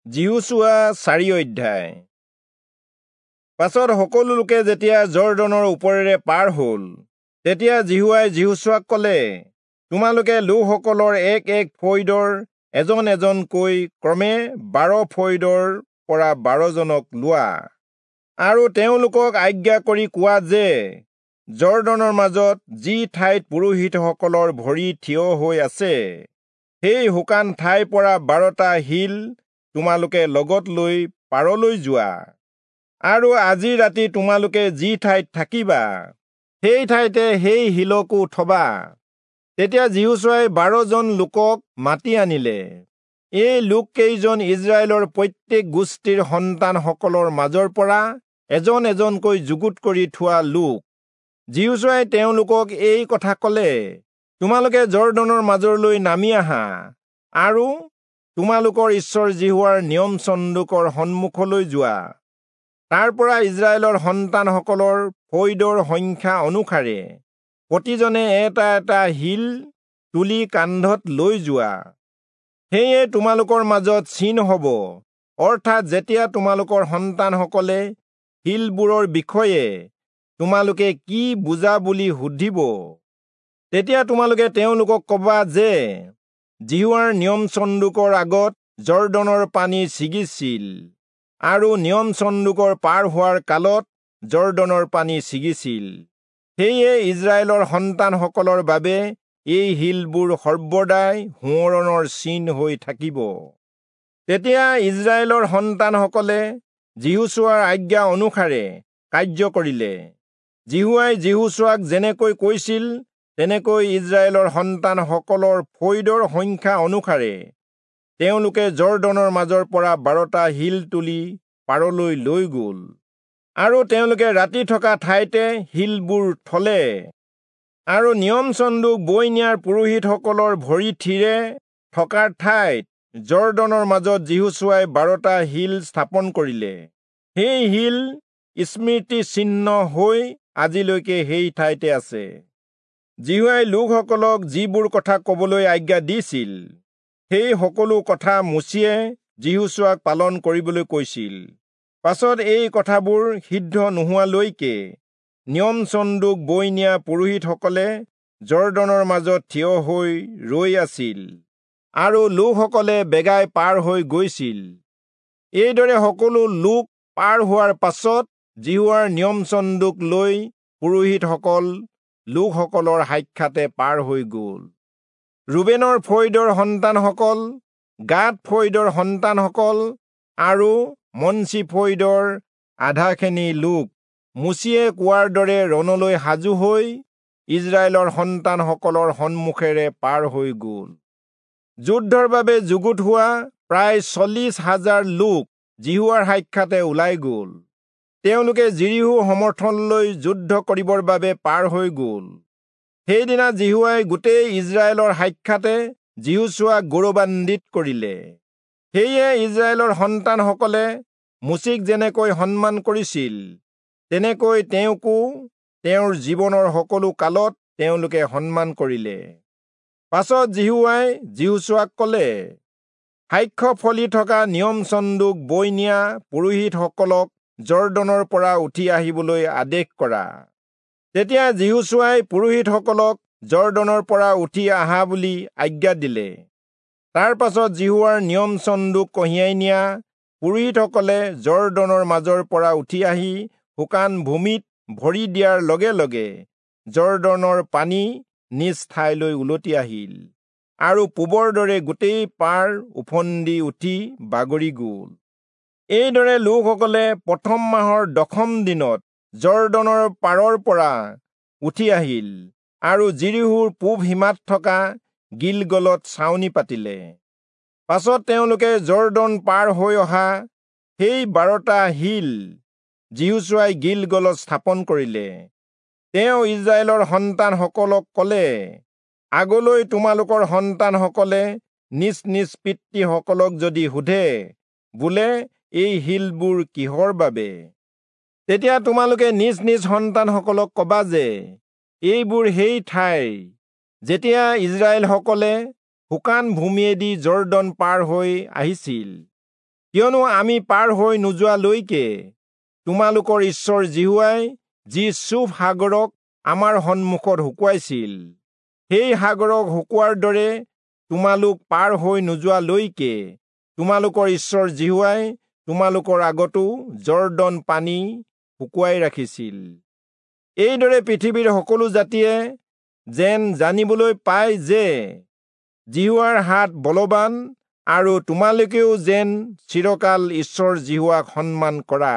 যিহোচূৱা 4 অধ্যায়। পাছত সকলো লোকে যেতিয়া যৰ্দনৰ ওপৰেৰে পাৰ হ'ল, তেতিয়া যিহোৱাই যিহোচূৱাক ক'লে, তোমালোকে লোকসকলৰ এক এক ফৈদৰ এজন এজনকৈ ক্ৰমে 12 ফৈদৰ পৰা 12 জনক লোৱা, আৰু তেওঁলোকক আজ্ঞা কৰি কোৱা যে যৰ্দনৰ মাজত যি ঠাইত পুৰোহিতসকলৰ ভৰি থিয় হৈ আছে, সেই শুকান ঠাইৰ পৰা 12টা শিল তোমালোকে লগত লৈ পাৰলৈ যোৱা, আৰু আজি ৰাতি তোমালোকে যি ঠাইত থাকিবা সেই ঠাইতে সেই শিলকো থবা। তেতিয়া যিহোচূৱাই 12 জন লোকক মাতি আনিলে। এই লোককেইজন ইজৰাইলৰ প্ৰত্যেক গোষ্ঠীৰ সন্তানসকলৰ মাজৰ পৰা এজন এজনকৈ যুগুত কৰি থোৱা লোক। যিহোচূৱাই তেওঁলোকক এই কথা ক'লে, তোমালোকে যৰ্দনৰ মাজলৈ নামি আহা আৰু তোমালোকৰ ঈশ্বৰ যিহোৱাৰ নিয়ম চন্দুকৰ সন্মুখলৈ যোৱা। তাৰ পৰা ইজৰাইলৰ সন্তানসকলৰ ফৈদৰ সংখ্যা অনুসাৰে প্ৰতিজনে এটা এটা শিল তুলি কান্ধত লৈ যোৱা। সেয়ে তোমালোকৰ মাজত চিন হ'ব, অৰ্থাৎ যেতিয়া তোমালোকৰ সন্তানসকলে শিলবোৰৰ বিষয়ে তোমালোকে কি বুজা বুলি সুধিব, তেতিয়া তোমালোকে তেওঁলোকক ক'বা যে যিহোৱাৰ নিয়ম চন্দুকৰ আগত যৰ্দনৰ পানী ছিগিছিল, আৰু নিয়ম চন্দুকৰ পাৰ হোৱাৰ কালত যৰ্দনৰ পানী ছিগিছিল। সেয়ে ইজৰাইলৰ সন্তানসকলৰ বাবে এই শিলবোৰ সৰ্বদাই সোঁৱৰণৰ চিন হৈ থাকিব। তেতিয়া ইজৰাইলৰ সন্তানসকলে যিহোচূৱাৰ আজ্ঞা অনুসাৰে কাৰ্য কৰিলে। যিহোৱাই যিহোচূৱাক যেনেকৈ কৈছিল, তেনেকৈ ইজৰাইলৰ সন্তানসকলৰ ফৈদৰ সংখ্যা অনুসাৰে তেওঁলোকে যৰ্দনৰ মাজৰ পৰা 12টা শিল তুলি পাৰলৈ লৈ গ'ল, আৰু তেওঁলোকে ৰাতি থকা ঠাইতে শিলবোৰ থলে। আৰু নিয়ম চন্দুক বৈ নিয়াৰ পুৰোহিতসকলৰ ভৰি থিৰে থকাৰ ঠাইত যৰ্দনৰ মাজত যিহোচূৱাই 12টা শিল স্থাপন কৰিলে। সেই শিল স্মৃতি চিহ্ন হৈ আজিলৈকে সেই ঠাইতে আছে। যিহোৱাই লোকসকলক যিবোৰ কথা ক'বলৈ আজ্ঞা দিছিল, সেই সকলো কথা মোচিয়ে যিহোচূৱাক পালন কৰিবলৈ কৈছিল। পাছত এই কথাবোৰ সিদ্ধ নোহোৱালৈকে নিয়ম চন্দুক বৈ নিয়া পুৰোহিতসকলে যৰ্দনৰ মাজত থিয় হৈ ৰৈ আছিল, আৰু লোকসকলে বেগাই পাৰ হৈ গৈছিল। এইদৰে সকলো লোক পাৰ হোৱাৰ পাছত যিহোৱাৰ নিয়ম চন্দুক লৈ পুৰোহিতসকল লোকসকলৰ সাক্ষাতে পাৰ হৈ গ'ল। ৰুবেনৰ ফৈদৰ সন্তানসকল, গাদ ফৈদৰ সন্তানসকল আৰু মনচি ফৈদৰ আধাখিনি লোক মোচিয়ে কোৱাৰ দৰে ৰণলৈ সাজু হৈ ইজৰাইলৰ সন্তানসকলৰ সন্মুখেৰে পাৰ হৈ গ'ল। যুদ্ধৰ বাবে যুগুত হোৱা প্ৰায় 40,000 লোক যিহোৱাৰ সাক্ষাতে ওলাই গ'ল। তেওঁলোকে যিৰীহো সমৰ্থনলৈ যুদ্ধ কৰিবৰ বাবে পাৰ হৈ গ'ল। সেইদিনা যিহোৱাই গোটেই ইজৰাইলৰ সাক্ষাতে যিহোচূৱাক গৌৰৱান্বিত কৰিলে। সেয়ে ইজৰাইলৰ সন্তানসকলে মোচিক যেনেকৈ সন্মান কৰিছিল, তেনেকৈ তেওঁকো তেওঁৰ জীৱনৰ সকলো কালত তেওঁলোকে সন্মান কৰিলে। পাছত যিহোৱাই যিহোচূৱাক ক'লে, সাক্ষ্য ফলি থকা নিয়ম চন্দুক বৈ নিয়া পুৰোহিতসকলক যৰ্দনৰ পৰা উঠি আহিবলৈ আদেশ কৰা। তেতিয়া যিহোচূৱাই পুৰোহিতসকলক যৰ্দনৰ পৰা উঠি আহা বুলি আজ্ঞা দিলে। তাৰ পাছত যিহোৱাৰ নিয়ম চন্দুক কঢ়িয়াই নিয়া পুৰোহিতসকলে যৰ্দনৰ মাজৰ পৰা উঠি আহি শুকান ভূমিত ভৰি দিয়াৰ লগে লগে যৰ্দনৰ পানী নিজ ঠাইলৈ উলটি আহিল, আৰু পূবৰ দৰে গোটেই পাৰ ওফন্দি উঠি বাগৰি গ'ল। এইদৰে লোকসকলে প্ৰথম মাহৰ 10ম দিনত যৰ্দনৰ পাৰৰ পৰা উঠি আহিল আৰু যিৰীহোৰ পূব সীমাত থকা গিলগলত ছাউনি পাতিলে। পাছত তেওঁলোকে যৰ্দন পাৰ হৈ অহা সেই 12টা শিল যিহোচূৱাই গিলগলত স্থাপন কৰিলে। তেওঁ ইজৰাইলৰ সন্তানসকলক ক'লে, আগলৈ তোমালোকৰ সন্তানসকলে নিজ নিজ পিতৃসকলক যদি সোধে, বোলে এই শিলবোৰ কিহৰ বাবে, তেতিয়া তোমালোকে নিজ নিজ সন্তানসকলক ক'বা যে এইবোৰ সেই ঠাই যেতিয়া ইজৰাইলসকলে শুকান ভূমিয়েদি যৰ্দন পাৰ হৈ আহিছিল। কিয়নো আমি পাৰ হৈ নোযোৱালৈকে তোমালোকৰ ঈশ্বৰ যিহোৱাই যি চূফ সাগৰক আমাৰ সন্মুখত শুকুৱাইছিল, সেই সাগৰক শুকুৱাৰ দৰে তোমালোক পাৰ হৈ নোযোৱালৈকে তোমালোকৰ ঈশ্বৰ যিহোৱাই তোমালোকৰ আগতো যৰ্দন পানী শুকুৱাই ৰাখিছিল। এইদৰে পৃথিৱীৰ সকলো জাতিয়ে যেন জানিবলৈ পায় যে যিহোৱাৰ হাত বলৱান, আৰু তোমালোকেও যেন চিৰকাল ঈশ্বৰ যিহোৱাক সন্মান কৰা।